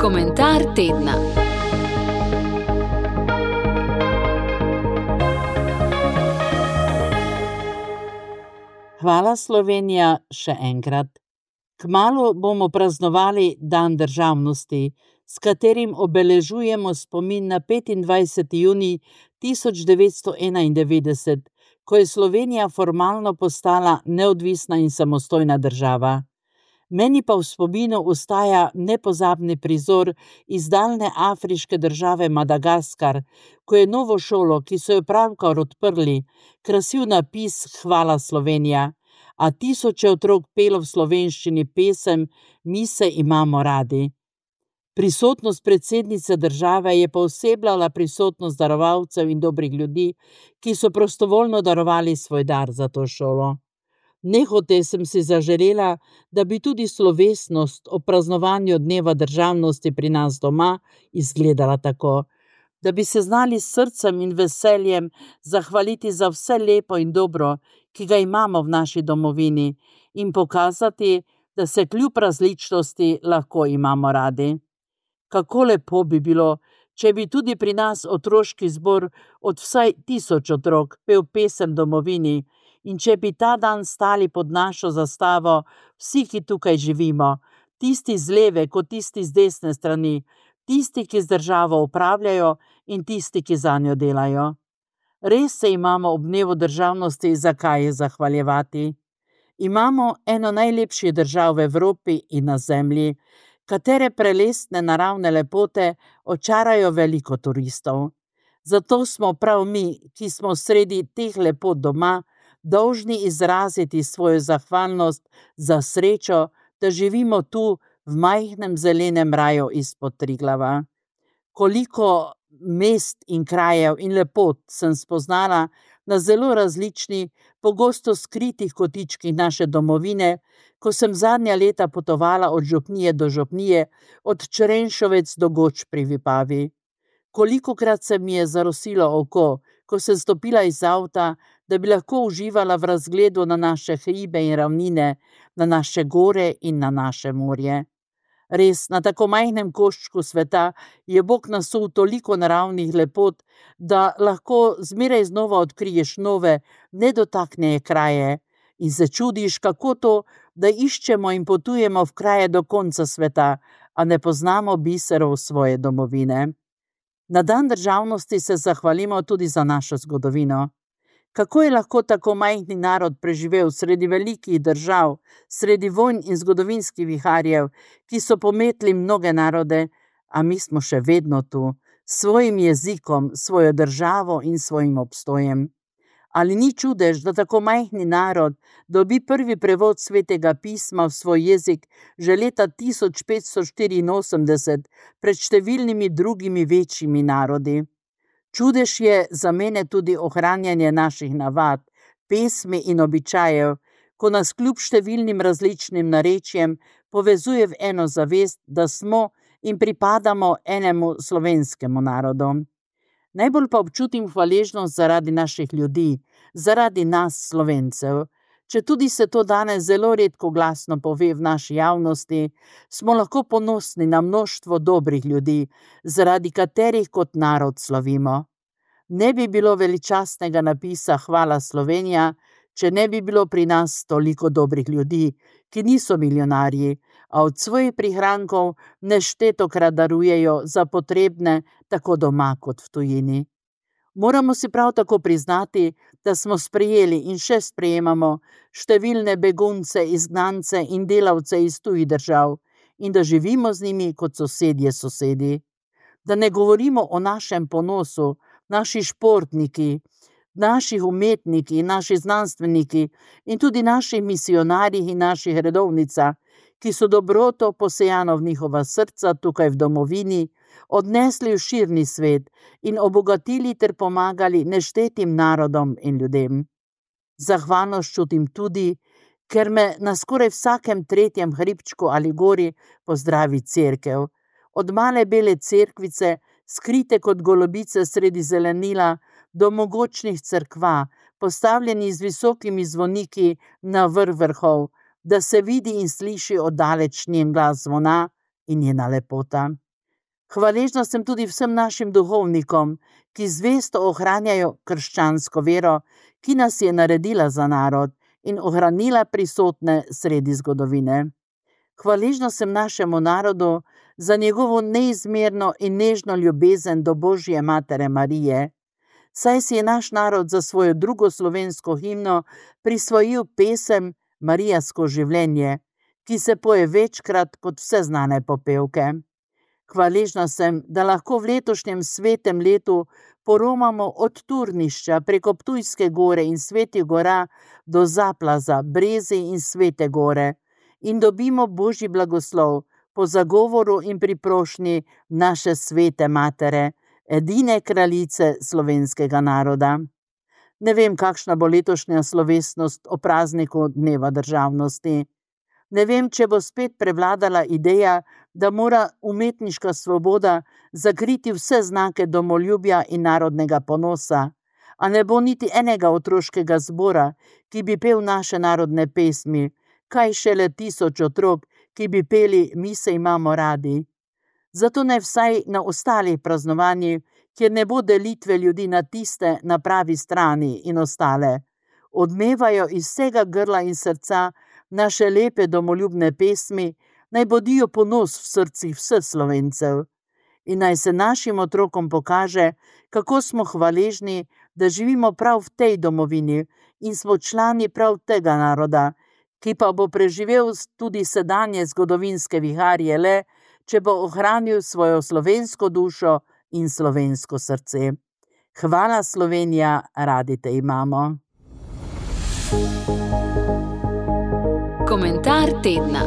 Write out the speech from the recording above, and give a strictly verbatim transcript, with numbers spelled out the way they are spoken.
Komentar tedna. Hvala Slovenija še enkrat. Kmalu bomo praznovali dan državnosti, s katerim obeležujemo spomin na petindvajseti junij tisoč devetsto enaindevetdeset, ko je Slovenija formalno postala neodvisna in samostojna država. Meni pa v spominu ostaja nepozabni prizor iz daljne afriške države Madagaskar, ko je novo šolo, ki so jo pravkar odprli, krasil napis Hvala Slovenija, a tisoče otrok pelo v slovenščini pesem Mi se imamo radi. Prisotnost predsednice države je poosebljala prisotnost darovalcev in dobrih ljudi, ki so prostovoljno darovali svoj dar za to šolo. Nehote sem si zaželela, da bi tudi slovesnost o praznovanju dneva državnosti pri nas doma izgledala tako, da bi se znali s srcem in veseljem zahvaliti za vse lepo in dobro, ki ga imamo v naši domovini, in pokazati, da se kljub različnosti lahko imamo radi. Kako lepo bi bilo, če bi tudi pri nas otroški zbor od vsaj tisoč otrok pel pesem domovini, in če bi ta dan stali pod našo zastavo vsi, ki tukaj živimo, tisti z leve kot tisti z desne strani, tisti, ki z državo upravljajo in tisti, ki zanjo delajo. Res se imamo ob dnevu državnosti zakaj zahvaljevati. Imamo eno najlepših držav v Evropi in na zemlji, katere prelestne naravne lepote očarajo veliko turistov. Zato smo prav mi, ki smo sredi teh lepot doma, dolžni izraziti svojo zahvalnost za srečo, da živimo tu v majhnem zelenem raju izpod Triglava. Koliko mest in krajev in lepot sem spoznala na zelo različnih, pogosto skritih kotičkih naše domovine, ko sem zadnja leta potovala od župnije do župnije, od Črenšovec do Goč pri Vipavi. Kolikokrat se mi je zarosilo oko, ko sem stopila iz avta, da bi lahko uživala v razgledu na naše hribe in ravnine, na naše gore in na naše morje. Res, na tako majhnem koščku sveta je Bog nasul toliko naravnih lepot, da lahko zmeraj znova odkriješ nove, nedotaknjene kraje in se čudiš, kako to, da iščemo in potujemo v kraje do konca sveta, a ne poznamo biserov svoje domovine. Na dan državnosti se zahvalimo tudi za našo zgodovino. Kako je lahko tako majhni narod preživel sredi velikih držav, sredi vojn in zgodovinskih viharjev, ki so pometli mnoge narode, a mi smo še vedno tu, s svojim jezikom, svojo državo in svojim obstojem. Ali ni čudež, da tako majhni narod dobi prvi prevod svetega pisma v svoj jezik že leta tisoč petsto štiriinosemdeset pred številnimi drugimi večjimi narodi? Čudež je za mene tudi ohranjanje naših navad, pesmi in običajev, ko nas kljub številnim različnim narečjem povezuje v eno zavest, da smo in pripadamo enemu slovenskemu narodu. Najbolj pa občutim hvaležnost zaradi naših ljudi, zaradi nas Slovencev. Četudi se to danes zelo redko glasno pove v naši javnosti, smo lahko ponosni na mnoštvo dobrih ljudi, zaradi katerih kot narod slavimo. Ne bi bilo veličastnega napisa Hvala Slovenija, če ne bi bilo pri nas toliko dobrih ljudi, ki niso milijonarji, a od svojih prihrankov neštetokrat darujejo za potrebne tako doma kot v tujini. Moramo si prav tako priznati, da smo sprejeli in še sprejemamo številne begunce, izgnance in delavce iz tujih držav in da živimo z njimi kot sosedje sosedi. Da ne govorimo o našem ponosu, naši športniki, naših umetniki, naši znanstveniki in tudi naših misionarjih in naših redovnicah, ki so dobroto posejano v njihova srca tukaj v domovini, odnesli v širni svet in obogatili ter pomagali neštetim narodom in ljudem. Zahvalnost čutim tudi, ker me na skoraj vsakem tretjem hribčku ali gori pozdravi cerkev. Od male bele cerkvice, skrite kot golobice sredi zelenila, do mogočnih cerkva, postavljeni z visokimi zvoniki na vrh vrhov, da se vidi in sliši oddaleč njen glas zvona in njena lepota. Hvaležna sem tudi vsem našim duhovnikom, ki zvesto ohranjajo krščansko vero, ki nas je naredila za narod in ohranila prisotne sredi zgodovine. Hvaležna sem našemu narodu za njegovo neizmerno in nežno ljubezen do Božje matere Marije, saj si je naš narod za svojo drugo slovensko himno prisvojil pesem Marijasko življenje, ki se poje večkrat kot vse znane popevke. Hvaležna sem, da lahko v letošnjem svetem letu poromamo od Turnišča preko Ptujske gore in Svetih gora do Zaplaza, Brezij in Svete gore in dobimo Božji blagoslov po zagovoru in priprošnji naše svete matere, edine kraljice slovenskega naroda. Ne vem, kakšna bo letošnja slovesnost o prazniku Dneva državnosti. Ne vem, če bo spet prevladala ideja, da mora umetniška svoboda zakriti vse znake domoljubja in narodnega ponosa, a ne bo niti enega otroškega zbora, ki bi pel naše narodne pesmi, kaj šele tisoč otrok, ki bi peli Mi se imamo radi. Zato naj vsaj na ostalih praznovanjih, kjer ne bo delitve ljudi na tiste na pravi strani in ostale, odmevajo iz vsega grla in srca naše lepe domoljubne pesmi, naj bodijo ponos v srcih vseh Slovencev in naj se našim otrokom pokaže, kako smo hvaležni, da živimo prav v tej domovini in smo člani prav tega naroda, ki pa bo preživel tudi sedanje zgodovinske viharje le, če bo ohranil svojo slovensko dušo in slovensko srce. Hvala Slovenija, radi te imamo. Komentar tedna.